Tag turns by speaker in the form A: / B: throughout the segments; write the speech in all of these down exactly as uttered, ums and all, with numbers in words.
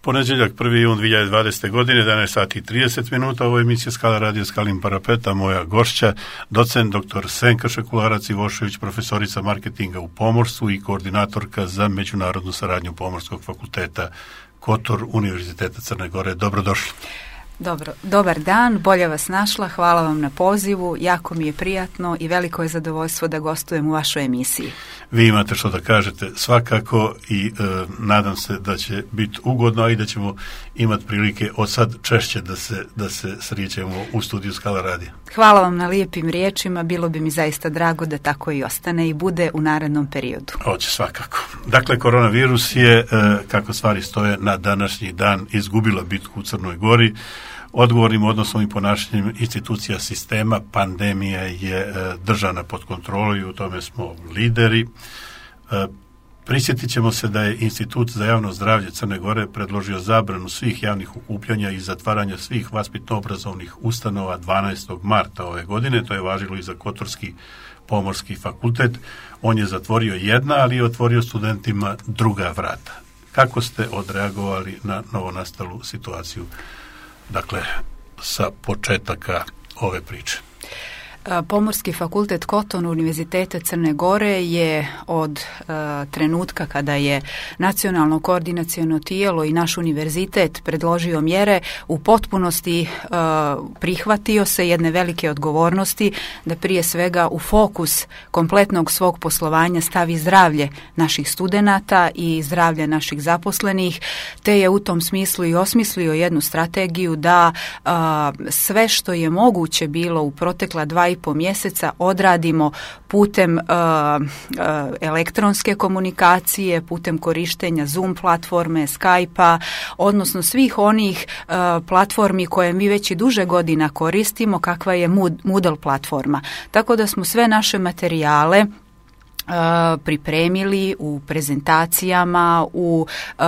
A: Ponedjeljak prvi jun dvije tisuće dvadesete. godine, jedanaest sati i trideset minuta, ovo je emisija Skala radio Skalin parapeta, moja gošća, docent doktor Senka Šekularac-Ivošević, profesorica marketinga u pomorstvu i koordinatorka za međunarodnu saradnju Pomorskog fakulteta Kotor Univerziteta Crne Gore. Dobrodošli.
B: Dobro, dobar dan, bolje vas našla, hvala vam na pozivu, jako mi je prijatno i veliko je zadovoljstvo da gostujem u vašoj emisiji.
A: Vi imate što da kažete svakako i e, nadam se da će biti ugodno, a i da ćemo imati prilike od sad češće da se, da se srijećemo u studiju Skala radija.
B: Hvala vam na lijepim riječima, bilo bi mi zaista drago da tako i ostane i bude u narednom periodu.
A: Hoće svakako. Dakle, koronavirus je, e, kako stvari stoje, na današnji dan izgubila bitku u Crnoj Gori. Odgovornim odnosom i ponašanjem institucija sistema pandemija je e, držana pod kontrolom i u tome smo lideri. E, prisjetit ćemo se da je Institut za javno zdravlje Crne Gore predložio zabranu svih javnih okupljanja i zatvaranja svih vaspitno-obrazovnih ustanova dvanaestog marta ove godine. To je važilo i za Kotorski pomorski fakultet. On je zatvorio jedna, ali je otvorio studentima druga vrata. Kako ste odreagovali na novonastalu situaciju? Dakle, sa početaka ove priče.
B: Pomorski fakultet Kotor Univerziteta Crne Gore je od uh, trenutka kada je nacionalno koordinaciono tijelo i naš univerzitet predložio mjere u potpunosti uh, prihvatio se jedne velike odgovornosti da prije svega u fokus kompletnog svog poslovanja stavi zdravlje naših studenata i zdravlje naših zaposlenih, te je u tom smislu i osmislio jednu strategiju da uh, sve što je moguće bilo u protekla dva i po mjeseca odradimo putem uh, uh, elektronske komunikacije, putem korištenja Zoom platforme, Skype-a, odnosno svih onih uh, platformi koje mi već i duže godina koristimo, kakva je Moodle platforma. Tako da smo sve naše materijale Uh, pripremili u prezentacijama, u uh,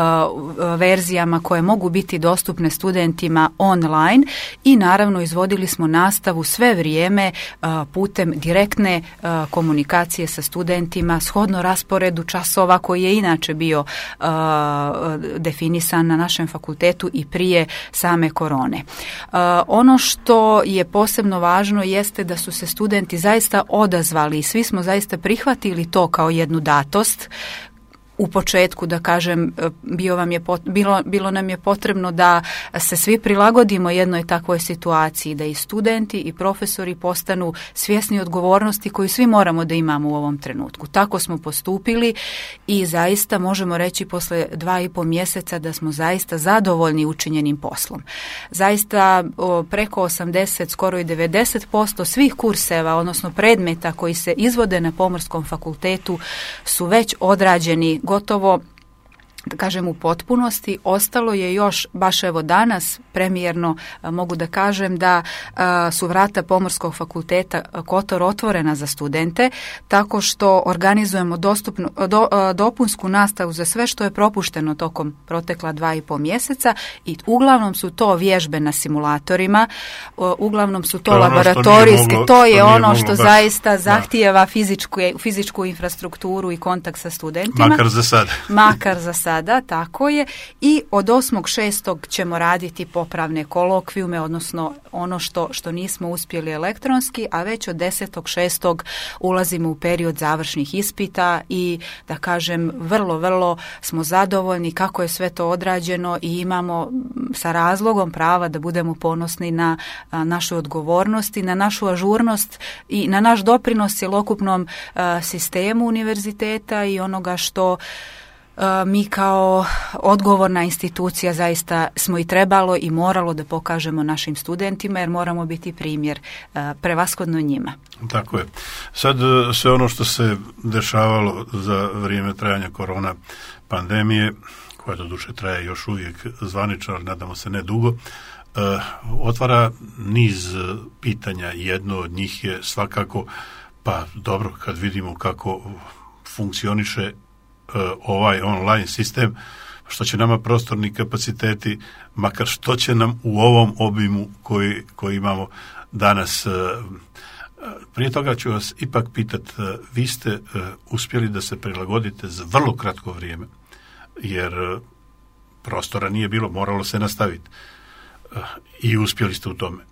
B: verzijama koje mogu biti dostupne studentima online i naravno izvodili smo nastavu sve vrijeme uh, putem direktne uh, komunikacije sa studentima shodno rasporedu časova koji je inače bio uh, definisan na našem fakultetu i prije same korone. Uh, ono što je posebno važno jeste da su se studenti zaista odazvali i svi smo zaista prihvatili to kao jednu datost. U početku, da kažem, bio vam je, bilo, bilo nam je potrebno da se svi prilagodimo jednoj takvoj situaciji, da i studenti i profesori postanu svjesni odgovornosti koju svi moramo da imamo u ovom trenutku. Tako smo postupili i zaista možemo reći posle dva i po mjeseca da smo zaista zadovoljni učinjenim poslom. Zaista o, preko osamdeset, skoro i devedeset posto svih kurseva, odnosno predmeta koji se izvode na Pomorskom fakultetu su već odrađeni gotovo, da kažem, u potpunosti. Ostalo je još, baš evo danas, premijerno mogu da kažem da a, su vrata Pomorskog fakulteta Kotor otvorena za studente, tako što organizujemo dostupnu, do, a, dopunsku nastavu za sve što je propušteno tokom protekla dva i po mjeseca i uglavnom su to vježbe na simulatorima, a, uglavnom su to, to laboratorijske, moglo, to je ono što baš, zaista zahtijeva fizičku, fizičku infrastrukturu i kontakt sa studentima.
A: Makar za sad.
B: Makar za sad. Da, tako je. I od osmog šestog ćemo raditi popravne kolokvijume, odnosno ono što, što nismo uspjeli elektronski, a već od desetog šestog ulazimo u period završnih ispita i, da kažem, vrlo, vrlo smo zadovoljni kako je sve to odrađeno i imamo sa razlogom prava da budemo ponosni na a, našu odgovornost i na našu ažurnost i na naš doprinos cjelokupnom a, sistemu univerziteta i onoga što mi kao odgovorna institucija zaista smo i trebalo i moralo da pokažemo našim studentima jer moramo biti primjer prevashodno njima.
A: Tako je. Sad sve ono što se dešavalo za vrijeme trajanja korona pandemije, koja doduše traje još uvijek zvanično, ali nadamo se ne dugo, otvara niz pitanja. Jedno od njih je svakako, pa dobro, kad vidimo kako funkcioniše ovaj online sistem, što će nama prostorni kapaciteti, makar što će nam u ovom obimu koji, koji imamo danas. Prije toga ću vas ipak pitati, vi ste uspjeli da se prilagodite za vrlo kratko vrijeme, jer prostora nije bilo, moralo se nastaviti. I uspjeli ste u tome.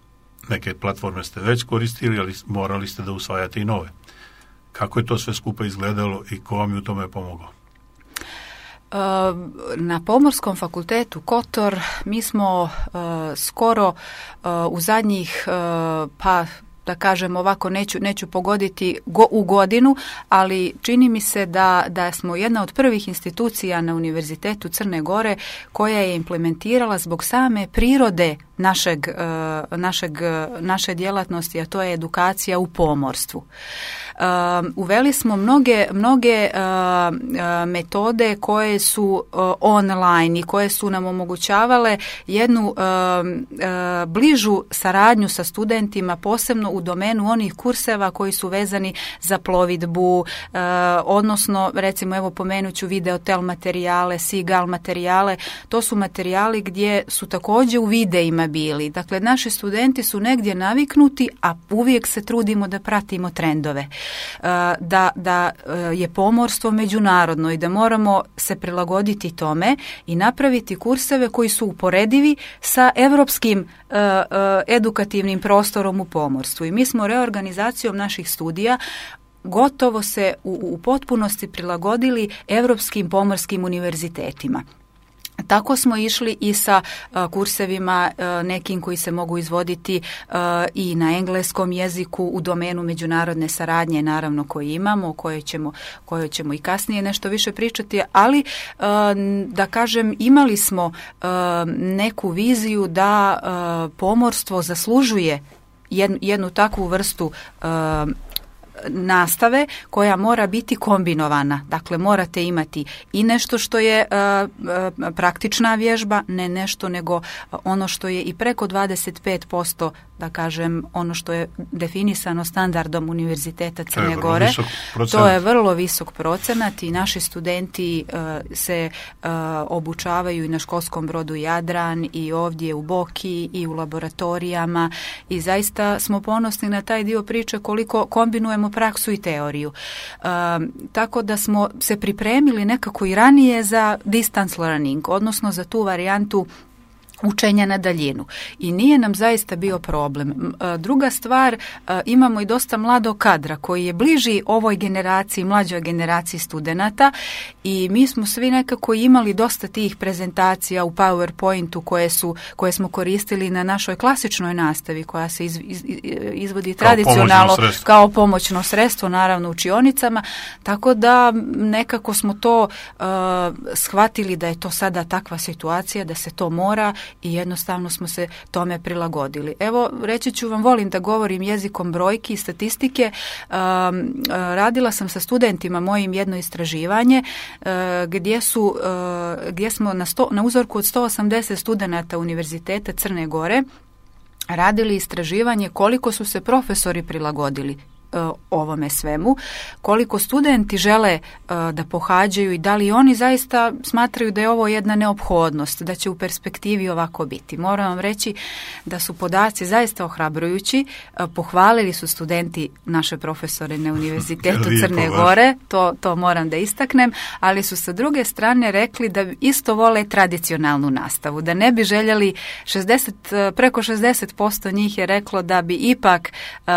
A: Neke platforme ste već koristili, ali morali ste da usvajate i nove. Kako je to sve skupa izgledalo i ko vam je u tome pomogao?
B: Na Pomorskom fakultetu Kotor mi smo uh, skoro uh, u zadnjih uh, pa da kažem ovako, neću, neću pogoditi go, u godinu, ali čini mi se da, da smo jedna od prvih institucija na Univerzitetu Crne Gore koja je implementirala zbog same prirode našeg, uh, našeg, naše djelatnosti, a to je edukacija u pomorstvu. Uh, uveli smo mnoge, mnoge uh, uh, metode koje su uh, online i koje su nam omogućavale jednu uh, uh, bližu saradnju sa studentima, posebno u domenu onih kurseva koji su vezani za plovidbu, uh, odnosno recimo evo pomenuću videotel materijale, Seagull materijale, to su materijali gdje su također u videima bili. Dakle, naši studenti su negdje naviknuti, a uvijek se trudimo da pratimo trendove. Da, da je pomorstvo međunarodno i da moramo se prilagoditi tome i napraviti kurseve koji su uporedivi sa europskim uh, uh, edukativnim prostorom u pomorstvu. I mi smo reorganizacijom naših studija gotovo se u, u potpunosti prilagodili europskim pomorskim univerzitetima. Tako smo išli i sa uh, kursevima uh, nekim koji se mogu izvoditi uh, i na engleskom jeziku u domenu međunarodne saradnje, naravno koji imamo, o kojoj ćemo, kojoj ćemo i kasnije nešto više pričati, ali uh, da kažem imali smo uh, neku viziju da uh, pomorstvo zaslužuje jednu, jednu takvu vrstu uh, nastave koja mora biti kombinovana. Dakle, morate imati i nešto što je uh, uh, praktična vježba, ne nešto nego ono što je i preko dvadeset pet posto, da kažem, ono što je definisano standardom Univerziteta Crne Gore. To je vrlo visok procenat i naši studenti uh, se uh, obučavaju i na školskom brodu Jadran i ovdje u Boki i u laboratorijama i zaista smo ponosni na taj dio priče koliko kombinujemo praksu i teoriju. Uh, tako da smo se pripremili nekako i ranije za distance learning, odnosno za tu varijantu učenja na daljinu. I nije nam zaista bio problem. Druga stvar, imamo i dosta mladog kadra koji je bliži ovoj generaciji, mlađoj generaciji studenata i mi smo svi nekako imali dosta tih prezentacija u PowerPointu koje, su, koje smo koristili na našoj klasičnoj nastavi koja se iz, iz, izvodi kao tradicionalno pomoćno kao pomoćno sredstvo, naravno u učionicama, tako da nekako smo to uh, shvatili da je to sada takva situacija, da se to mora i jednostavno smo se tome prilagodili. Evo, reći ću vam, volim da govorim jezikom brojki i statistike. Um, radila sam sa studentima mojim jedno istraživanje uh, gdje su, uh, gdje smo na, sto, na uzorku od sto osamdeset studenata Univerziteta Crne Gore radili istraživanje koliko su se profesori prilagodili ovome svemu, koliko studenti žele uh, da pohađaju i da li oni zaista smatraju da je ovo jedna neophodnost, da će u perspektivi ovako biti. Moram vam reći da su podaci zaista ohrabrujući, uh, pohvalili su studenti naše profesore na Univerzitetu Crne Gore, to, to moram da istaknem, ali su sa druge strane rekli da isto vole tradicionalnu nastavu, da ne bi željeli šezdeset, preko šezdeset posto njih je reklo da bi ipak uh,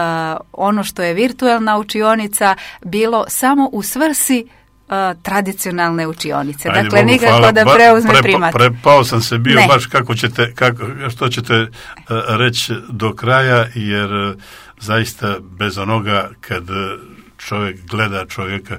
B: ono što je virtualna učionica bilo samo u svrsi uh, tradicionalne učionice. Ajde, dakle, Bogu, nikako hvala. Da preuzme
A: Pre,
B: primat.
A: Prepao sam se bio
B: ne.
A: baš kako ćete, kako, što ćete uh, reći do kraja, jer uh, zaista bez onoga kad čovjek gleda čovjeka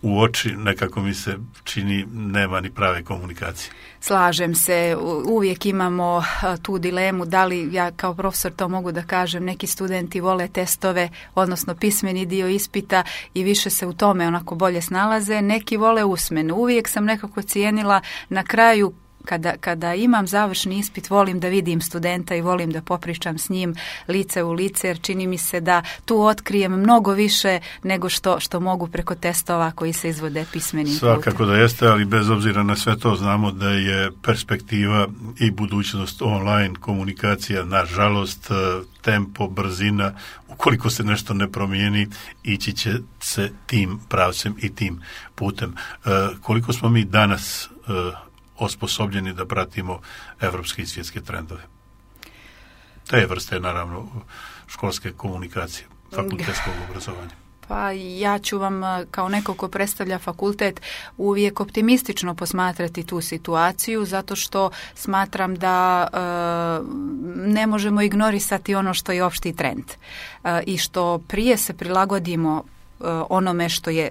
A: u oči, nekako mi se čini nema ni prave komunikacije.
B: Slažem se, uvijek imamo tu dilemu da li ja kao profesor to mogu da kažem, neki studenti vole testove, odnosno pismeni dio ispita i više se u tome onako bolje snalaze, neki vole usmenu. Uvijek sam nekako cijenila na kraju Kada, kada imam završni ispit, volim da vidim studenta i volim da popričam s njim lice u lice, jer čini mi se da tu otkrijem mnogo više nego što, što mogu preko testova koji se izvode pismenim putem.
A: Svakako da jeste, ali bez obzira na sve to znamo da je perspektiva i budućnost online komunikacija, nažalost, tempo, brzina, ukoliko se nešto ne promijeni, ići će se tim pravcem i tim putem. E, koliko smo mi danas e, osposobljeni da pratimo evropske i svjetske trendove. Te vrste, naravno, školske komunikacije, fakultetskog obrazovanja.
B: Pa ja ću vam kao neko ko predstavlja fakultet uvijek optimistično posmatrati tu situaciju, zato što smatram da e, ne možemo ignorisati ono što je opšti trend e, i što prije se prilagodimo e, onome što je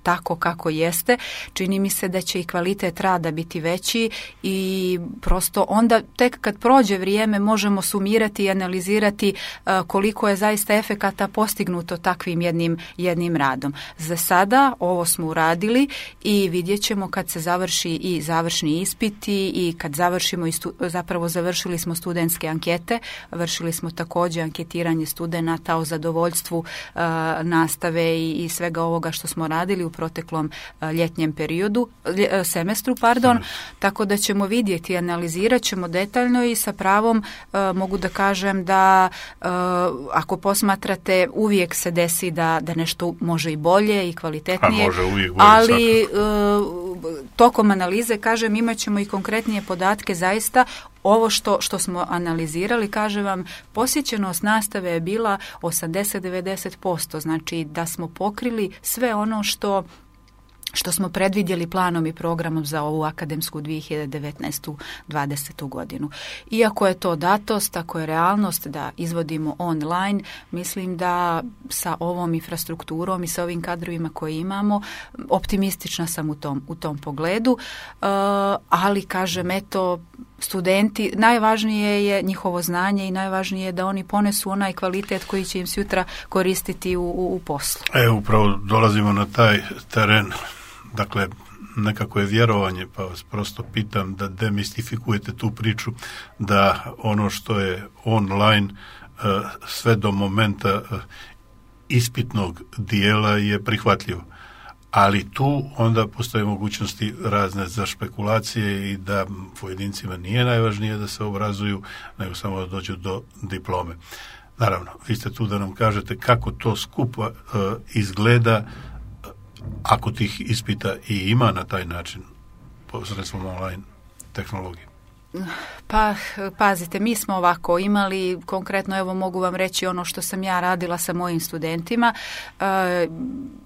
B: tako kako jeste, čini mi se da će i kvalitet rada biti veći i prosto onda tek kad prođe vrijeme možemo sumirati i analizirati uh, koliko je zaista efekata postignuto takvim jednim, jednim radom. Za sada ovo smo uradili i vidjet ćemo kad se završi i završni ispiti i kad završimo, i stu, zapravo završili smo studentske ankete, vršili smo također anketiranje studenata o zadovoljstvu uh, nastave i, i svega ovoga što smo radili u proteklom ljetnjem periodu, lje, semestru, pardon, mm. tako da ćemo vidjeti, analizirat ćemo detaljno i sa pravom uh, mogu da kažem da uh, ako posmatrate uvijek se desi da, da nešto može i bolje i kvalitetnije,
A: može uvijek bolje,
B: ali uh, tokom analize, kažem, imat ćemo i konkretnije podatke zaista. Ovo što, što smo analizirali, kažem vam, posjećenost nastave je bila osamdeset do devedeset posto, znači da smo pokrili sve ono što što smo predvidjeli planom i programom za ovu akademsku dvije hiljade devetnaestu dvadesetu godinu. Iako je to datost, ako je realnost da izvodimo online, mislim da sa ovom infrastrukturom i sa ovim kadrovima koje imamo, optimistična sam u tom, u tom pogledu, uh, ali kažem, eto, studenti, najvažnije je njihovo znanje i najvažnije je da oni ponesu onaj kvalitet koji će im sutra koristiti u, u, u poslu.
A: E, upravo dolazimo na taj teren. Dakle, nekako je vjerovanje, pa vas prosto pitam da demistifikujete tu priču, da ono što je online sve do momenta ispitnog dijela je prihvatljivo. Ali tu onda postoje mogućnosti razne za špekulacije i da pojedincima nije najvažnije da se obrazuju, nego samo da dođu do diplome. Naravno, vi ste tu da nam kažete kako to skupa uh, izgleda ako tih ispita i ima na taj način posredstvom online tehnologije.
B: Pa, pazite, mi smo ovako imali, konkretno evo mogu vam reći ono što sam ja radila sa mojim studentima. Uh,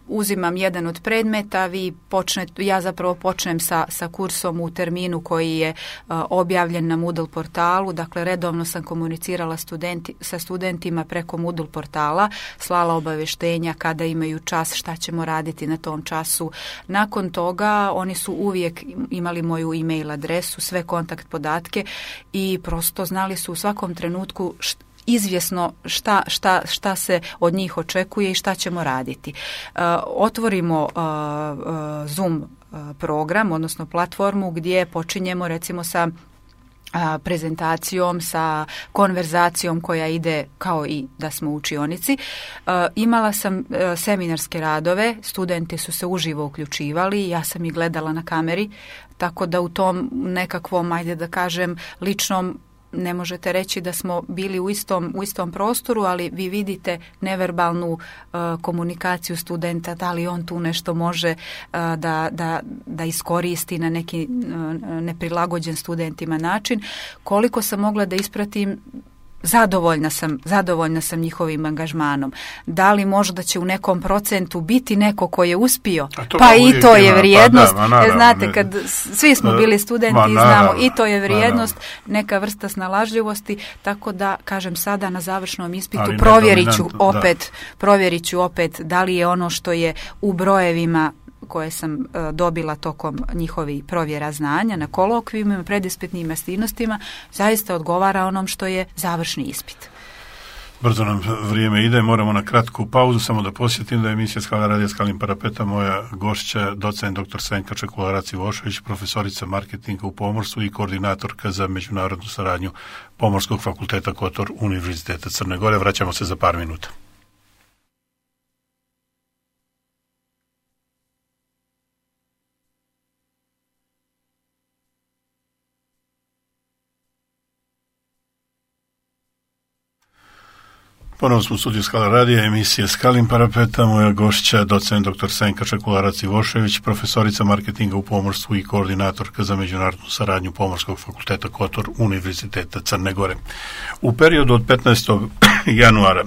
B: uzimam jedan od predmeta, vi počnete, ja zapravo počnem sa, sa kursom u terminu koji je uh, objavljen na Moodle portalu, dakle redovno sam komunicirala studenti, sa studentima preko Moodle portala, slala obavještenja kada imaju čas, šta ćemo raditi na tom času. Nakon toga oni su uvijek imali moju e-mail adresu, sve kontakt podatke i prosto znali su u svakom trenutku št, izvjesno šta, šta, šta se od njih očekuje i šta ćemo raditi. Uh, otvorimo uh, uh, Zoom uh, program, odnosno platformu gdje počinjemo recimo sa a, prezentacijom, sa konverzacijom koja ide kao i da smo u učionici. A, imala sam a, seminarske radove, studenti su se uživo uključivali, ja sam ih gledala na kameri, tako da u tom nekakvom, ajde da kažem, ličnom, ne možete reći da smo bili u istom, u istom prostoru, ali vi vidite neverbalnu uh, komunikaciju studenta, da li on tu nešto može uh, da, da, da iskoristi na neki uh, neprilagođen studentima način. Koliko sam mogla da ispratim, Zadovoljna sam, zadovoljna sam njihovim angažmanom. Da li možda će u nekom procentu biti neko ko je uspio? Pa i to je vrijednost. Pa da, naravno, znate, kad svi smo bili studenti i znamo, i to je vrijednost, neka vrsta snalažljivosti, tako da, kažem, sada na završnom ispitu provjerit ću opet, provjerit ću opet da li je ono što je u brojevima koje sam uh, dobila tokom njihovih provjera znanja na kolokvijima, predispitnim aktivnostima, zaista odgovara onom što je završni ispit.
A: Brzo nam vrijeme ide, moramo na kratku pauzu, samo da posjetim da je emisija Skala radija Skalnim parapeta, moja gošća, docent doktor Senka Čekularac-Ivošević, profesorica marketinga u pomorstvu i koordinatorka za međunarodnu saradnju Pomorskog fakulteta Kotor Univerziteta Crne Gore. Vraćamo se za par minuta. Ponovno smo u studiju Skala radija, emisije Skalin parapeta, moja gošća, docent doktor Senka Čekularac-Ivošević, profesorica marketinga u pomorstvu i koordinatorka za međunarodnu saradnju Pomorskog fakulteta Kotor Univerziteta Crne Gore. U periodu od petnaestog januara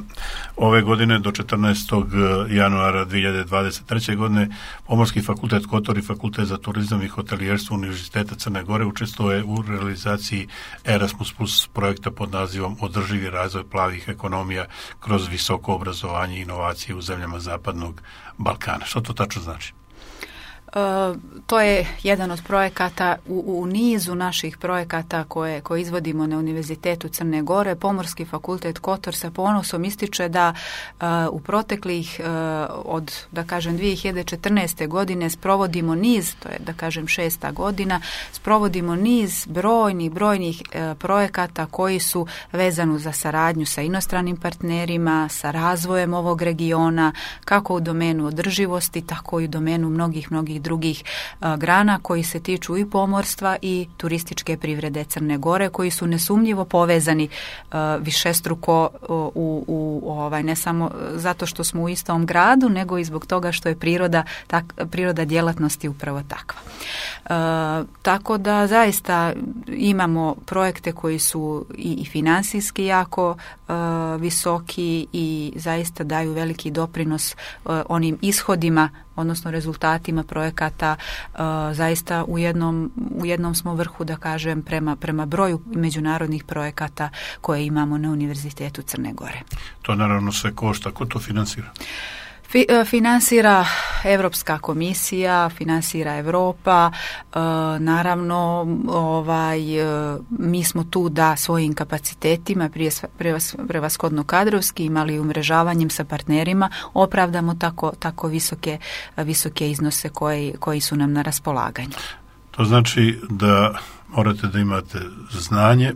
A: ove godine do četrnaestog januara dvije hiljade dvadeset treće. godine Pomorski fakultet Kotor i Fakultet za turizam i hotelijerstvo Univerziteta Crne Gore učestvuje u realizaciji Erasmus plus projekta pod nazivom Održivi razvoj plavih ekonomija kroz visoko obrazovanje i inovacije u zemljama Zapadnog Balkana. Što to tačno znači?
B: Uh, to je jedan od projekata u, u nizu naših projekata koje, koje izvodimo na Univerzitetu Crne Gore. Pomorski fakultet Kotor sa ponosom ističe da uh, u proteklih uh, od, da kažem, dvije hiljade četrnaeste. godine sprovodimo niz, to je da kažem šesta godina, sprovodimo niz brojnih, brojnih uh, projekata koji su vezani za saradnju sa inostranim partnerima, sa razvojem ovog regiona, kako u domenu održivosti, tako i u domenu mnogih, mnogih drugih a, grana koji se tiču i pomorstva i turističke privrede Crne Gore, koji su nesumnjivo povezani a, višestruko u, u ovaj, ne samo zato što smo u istom gradu, nego i zbog toga što je priroda, tak, priroda djelatnosti upravo takva. A, tako da zaista imamo projekte koji su i, i finansijski jako a, visoki i zaista daju veliki doprinos a, onim ishodima, odnosno rezultatima projekata. Uh, zaista u jednom, u jednom smo vrhu, da kažem, prema, prema broju međunarodnih projekata koje imamo na Univerzitetu Crne Gore.
A: To naravno sve košta. Ko to finansira?
B: Fi, finansira Europska komisija, finansira Europa, e, naravno ovaj, e, mi smo tu da svojim kapacitetima, prije prevashodno kadrovski, imali umrežavanjem sa partnerima, opravdamo tako, tako visoke, visoke iznose koji, koji su nam na raspolaganju.
A: To znači da morate da imate znanje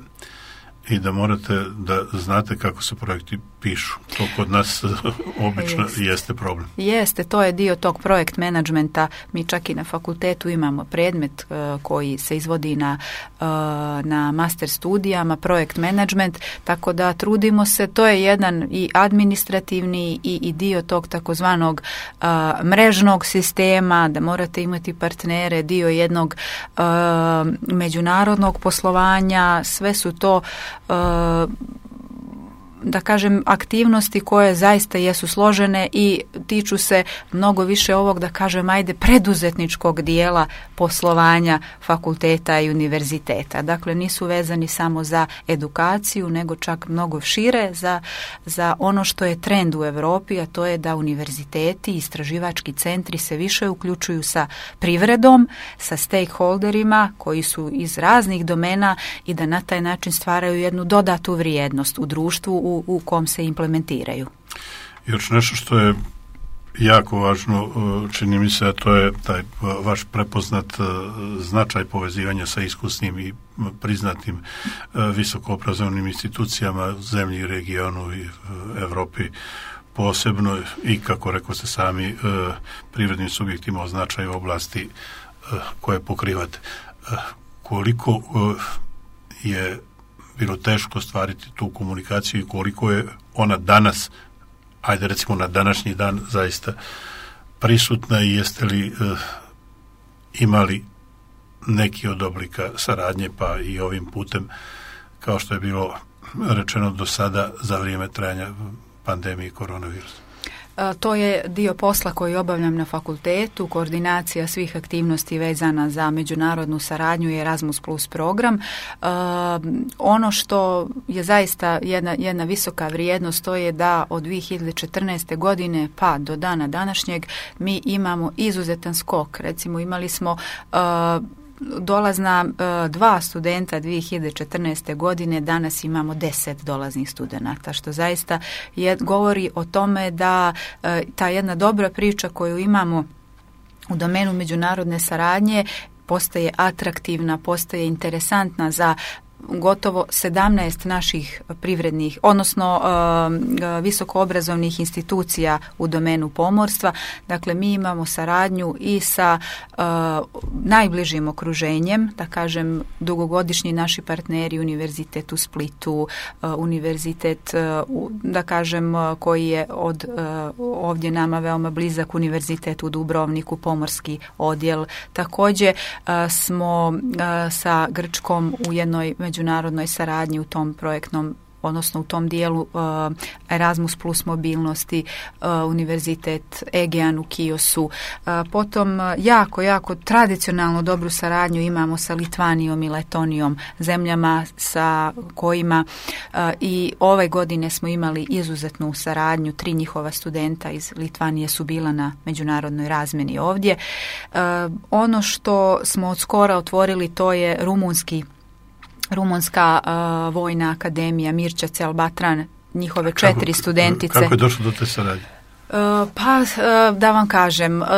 A: i da morate da znate kako se projekti pišu. To kod nas obično jeste. jeste problem.
B: Jeste, to je dio tog projekt menadžmenta. Mi čak i na fakultetu imamo predmet uh, koji se izvodi na, uh, na master studijama, projekt menadžment, tako da trudimo se, to je jedan i administrativni i, i dio tog takozvanog uh, mrežnog sistema, da morate imati partnere, dio jednog uh, međunarodnog poslovanja, sve su to uh, da kažem aktivnosti koje zaista jesu složene i tiču se mnogo više ovog, da kažem, ajde preduzetničkog dijela poslovanja fakulteta i univerziteta. Dakle, nisu vezani samo za edukaciju, nego čak mnogo šire za, za ono što je trend u Europi, a to je da univerziteti i istraživački centri se više uključuju sa privredom, sa stakeholderima koji su iz raznih domena i da na taj način stvaraju jednu dodatu vrijednost u društvu u u kom se implementiraju.
A: Još nešto što je jako važno, čini mi se, a to je taj vaš prepoznat značaj povezivanja sa iskusnim i priznatim visokoobrazovnim institucijama u zemlji i regionu i Evropi posebno i, kako rekao ste sami, privrednim subjektima o značaju oblasti koje pokrivate. Koliko je bilo teško stvariti tu komunikaciju i koliko je ona danas, ajde recimo na današnji dan, zaista prisutna i jeste li uh, imali neki od oblika saradnje, pa i ovim putem, kao što je bilo rečeno do sada za vrijeme trajanja pandemije koronavirusa?
B: To je dio posla koji obavljam na fakultetu, koordinacija svih aktivnosti vezana za međunarodnu saradnju i Erasmus plus program. Uh, ono što je zaista jedna, jedna visoka vrijednost, to je da od dvije hiljade četrnaeste. godine pa do dana današnjeg mi imamo izuzetan skok. Recimo imali smo uh, dolazna uh, dva studenta dvije hiljade četrnaeste. godine, danas imamo deset dolaznih studenata, što zaista je, govori o tome da uh, ta jedna dobra priča koju imamo u domenu međunarodne saradnje postaje atraktivna, postaje interesantna za gotovo sedamnaest naših privrednih, odnosno uh, visokoobrazovnih institucija u domenu pomorstva. Dakle, mi imamo saradnju i sa uh, najbližim okruženjem, da kažem, dugogodišnji naši partneri, Univerzitet u Splitu, uh, Univerzitet, uh, da kažem, uh, koji je od uh, ovdje nama veoma blizak, Univerzitet u Dubrovniku, pomorski odjel. Također uh, smo uh, sa Grčkom u jednoj međunarodnoj saradnji u tom projektnom, odnosno u tom dijelu uh, Erasmus plus mobilnosti, uh, Univerzitet Egean u Kiosu. Uh, potom uh, jako, jako tradicionalno dobru saradnju imamo sa Litvanijom i Letonijom, zemljama sa kojima uh, i ove godine smo imali izuzetnu saradnju. Tri njihova studenta iz Litvanije su bila na međunarodnoj razmjeni ovdje. Uh, ono što smo od skora otvorili, to je rumunski Rumunska uh, vojna akademija Mircea Cel-Batran, njihove četiri kako, studentice.
A: Kako je došlo do te saradnje?
B: Uh, pa, uh, da vam kažem, uh,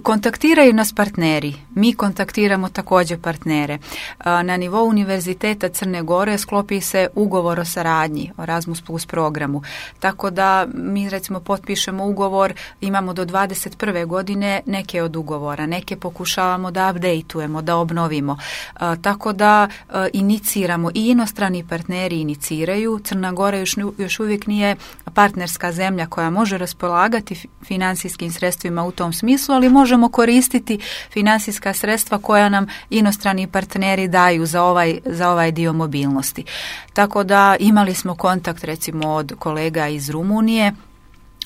B: kontaktiraju nas partneri, mi kontaktiramo također partnere. Uh, na nivou Univerziteta Crne Gore sklopi se ugovor o saradnji, o Erasmus plus programu, tako da mi recimo potpišemo ugovor, imamo do dvadeset prve godine neke od ugovora, neke pokušavamo da updateujemo, da obnovimo, uh, tako da uh, iniciramo i inostrani partneri iniciraju. Crna Gora još, još uvijek nije partnerska zemlja koja može raspolagati financijskim sredstvima u tom smislu, ali možemo koristiti financijska sredstva koja nam inostrani partneri daju za ovaj, za ovaj dio mobilnosti. Tako da imali smo kontakt recimo od kolega iz Rumunije.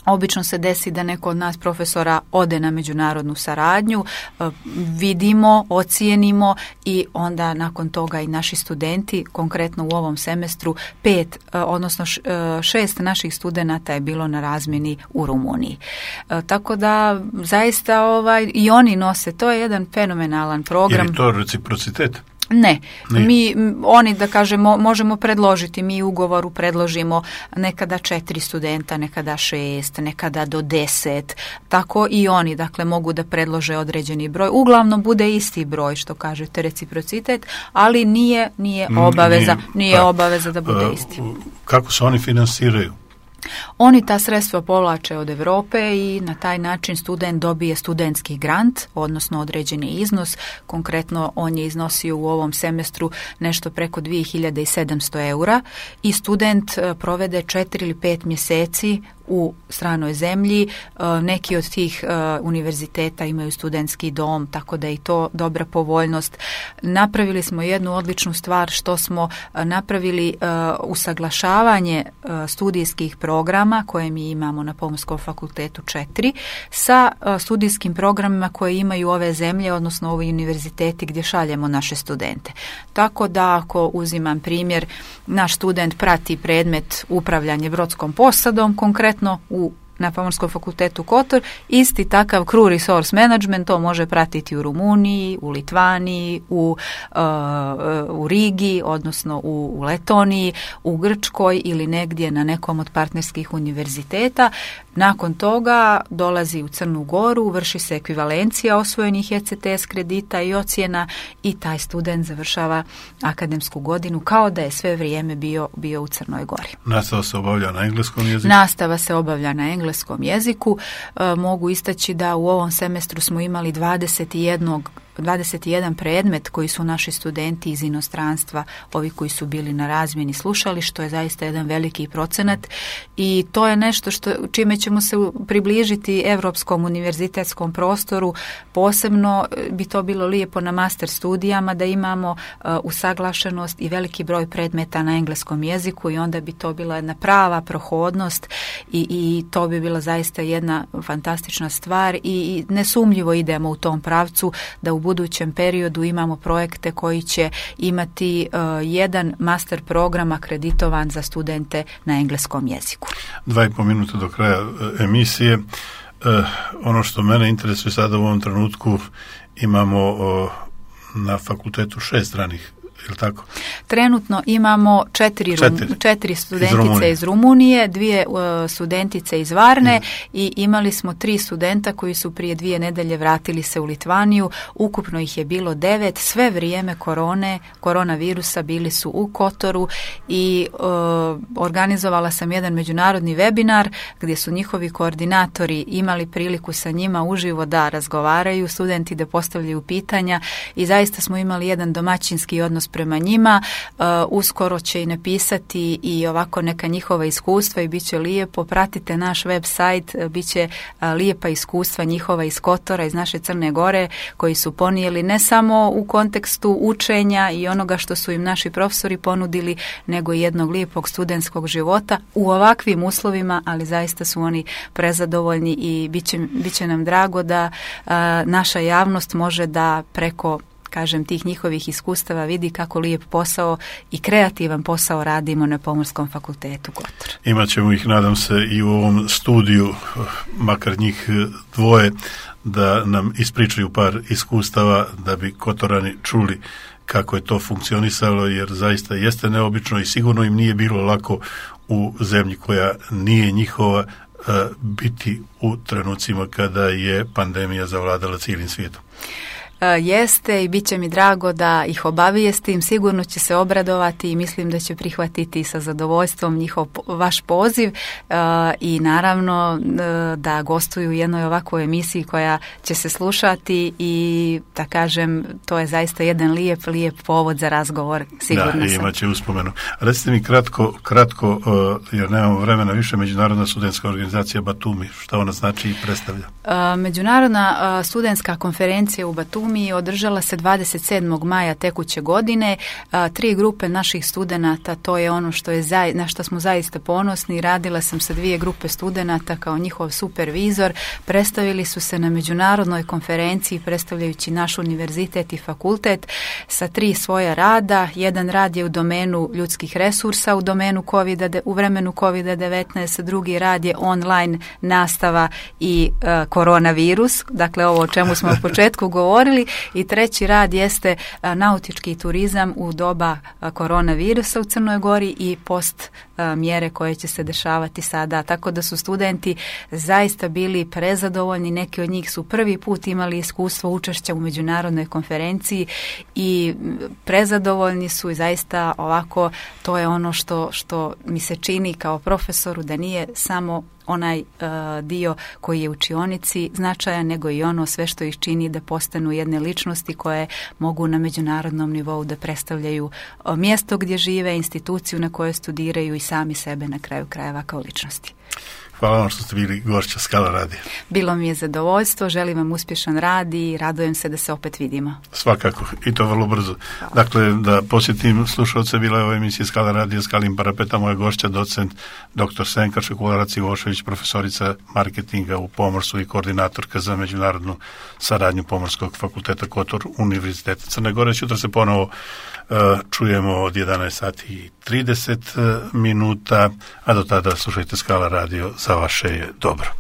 B: Obično se desi da neko od nas profesora ode na međunarodnu saradnju, vidimo, ocijenimo i onda nakon toga i naši studenti, konkretno u ovom semestru, pet, odnosno šest naših studenata je bilo na razmjeni u Rumuniji. Tako da zaista ovaj, i oni nose, to je jedan fenomenalan program.
A: Je li to reciprocitet?
B: Ne, Nije. mi, oni da kažemo, možemo predložiti, mi u ugovoru predložimo nekada četiri studenta, nekada šest, nekada do deset, tako i oni, dakle, mogu da predlože određeni broj, uglavnom bude isti broj, što kažete, reciprocitet, ali nije, nije obaveza, nije, nije pa, obaveza da bude isti.
A: Kako se oni finansiraju?
B: Oni ta sredstva povlače od Europe i na taj način student dobije studentski grant, odnosno određeni iznos. Konkretno on je iznosio u ovom semestru nešto preko dvije hiljade sedamsto eura i student provede četiri ili pet mjeseci u stranoj zemlji. Neki od tih univerziteta imaju studentski dom, tako da je i to dobra povoljnost. Napravili smo jednu odličnu stvar što smo napravili usaglašavanje studijskih programa koje mi imamo na Pomorskom fakultetu četiri sa studijskim programima koje imaju ove zemlje, odnosno ovi univerziteti gdje šaljemo naše studente. Tako da ako uzimam primjer, naš student prati predmet upravljanje brodskom posadom, konkretno u na Pomorskom fakultetu Kotor, isti takav crew resource management to može pratiti u Rumuniji, u Litvaniji, u, uh, u Rigi, odnosno u, u Letoniji, u Grčkoj ili negdje na nekom od partnerskih univerziteta. Nakon toga dolazi u Crnu Goru, vrši se ekvivalencija osvojenih E C T S kredita i ocjena i taj student završava akademsku godinu kao da je sve vrijeme bio, bio u Crnoj Gori.
A: Nastava se obavlja na engleskom jeziku?
B: Nastava se obavlja na engleskom jeziku. E, mogu istaći da u ovom semestru smo imali dvadeset jedan dvadeset jedan predmet koji su naši studenti iz inostranstva, ovi koji su bili na razmjeni, slušali, što je zaista jedan veliki procenat i to je nešto što, čime ćemo se približiti europskom univerzitetskom prostoru. Posebno bi to bilo lijepo na master studijama da imamo uh, usaglašenost i veliki broj predmeta na engleskom jeziku i onda bi to bila jedna prava prohodnost i, i to bi bila zaista jedna fantastična stvar i, i nesumnjivo idemo u tom pravcu da u budućem periodu imamo projekte koji će imati uh, jedan master program akreditovan za studente na engleskom jeziku.
A: Dva i po minuta do kraja emisije. Uh, ono što mene interesuje sada u ovom trenutku, imamo uh, na fakultetu šest stranih je li tako?
B: Trenutno imamo četiri, četiri. Rum, četiri studentice iz Rumunije, iz Rumunije dvije uh, studentice iz Varne mm. i imali smo tri studenta koji su prije dvije nedelje vratili se u Litvaniju. Ukupno ih je bilo devet. Sve vrijeme korone, koronavirusa bili su u Kotoru i uh, organizovala sam jedan međunarodni webinar gdje su njihovi koordinatori imali priliku sa njima uživo da razgovaraju, studenti da postavljaju pitanja i zaista smo imali jedan domaćinski odnos prema njima. Uh, uskoro će i napisati i ovako neka njihova iskustva i bit će lijepo. Pratite naš web sajt, bit će uh, lijepa iskustva njihova iz Kotora, iz naše Crne Gore, koji su ponijeli ne samo u kontekstu učenja i onoga što su im naši profesori ponudili, nego i jednog lijepog studentskog života u ovakvim uslovima, ali zaista su oni prezadovoljni i bit će, bit će nam drago da uh, naša javnost može da preko, kažem, tih njihovih iskustava vidi kako lijep posao i kreativan posao radimo na Pomorskom fakultetu Kotor.
A: Imaćemo ih, nadam se, i u ovom studiju, makar njih dvoje, da nam ispričaju par iskustava da bi Kotorani čuli kako je to funkcionisalo, jer zaista jeste neobično i sigurno im nije bilo lako u zemlji koja nije njihova biti u trenucima kada je pandemija zavladala cijelim svijetom.
B: Jeste i bit će mi drago da ih obavijestim, sigurno će se obradovati i mislim da će prihvatiti sa zadovoljstvom njihov vaš poziv uh, i naravno uh, da gostuju u jednoj ovakvoj emisiji koja će se slušati i da kažem, to je zaista jedan lijep, lijep povod za razgovor, sigurno sam.
A: Da, imat će uspomenu. Recite mi kratko, kratko uh, jer nemamo vremena više, Međunarodna studentska organizacija Batumi, šta ona znači i predstavlja?
B: Uh, Međunarodna uh, studentska konferencija u Batumi mi održala se dvadeset sedmog maja tekuće godine. A, tri grupe naših studenata, to je ono što je za, na što smo zaista ponosni. Radila sam sa dvije grupe studenata kao njihov supervizor. Predstavili su se na međunarodnoj konferenciji predstavljajući naš univerzitet i fakultet sa tri svoja rada. Jedan rad je u domenu ljudskih resursa, u domenu COVID, u vremenu kovid devetnaest, drugi rad je online nastava i a, koronavirus, dakle ovo o čemu smo u početku govorili. I treći rad jeste a, nautički turizam u doba a, koronavirusa u Crnoj Gori i post a, mjere koje će se dešavati sada. Tako da su studenti zaista bili prezadovoljni, neki od njih su prvi put imali iskustvo učešća u međunarodnoj konferenciji i prezadovoljni su i zaista ovako, to je ono što, što mi se čini kao profesoru, da nije samo onaj uh, dio koji je u učionici značajan, nego i ono sve što ih čini da postanu jedne ličnosti koje mogu na međunarodnom nivou da predstavljaju uh, mjesto gdje žive, instituciju na kojoj studiraju i sami sebe na kraju krajeva kao ličnosti.
A: Hvala vam što ste bili gošća Skala radija.
B: Bilo mi je zadovoljstvo, želim vam uspješan rad i radujem se da se opet vidimo.
A: Svakako, i to vrlo brzo. Hvala. Dakle, da posjetim slušalce, bila je ova emisija Skala radija, Skalim parapeta, moja gošća, docent doktor Senka Šekularac-Ivošević, profesorica marketinga u pomorstvu i koordinatorka za međunarodnu saradnju Pomorskog fakulteta Kotor Univerziteta Crne Gore. Sutra se ponovo uh, čujemo od jedanaest sati i trideset minuta, a do tada slušajte Skala radio, za vaše je dobro.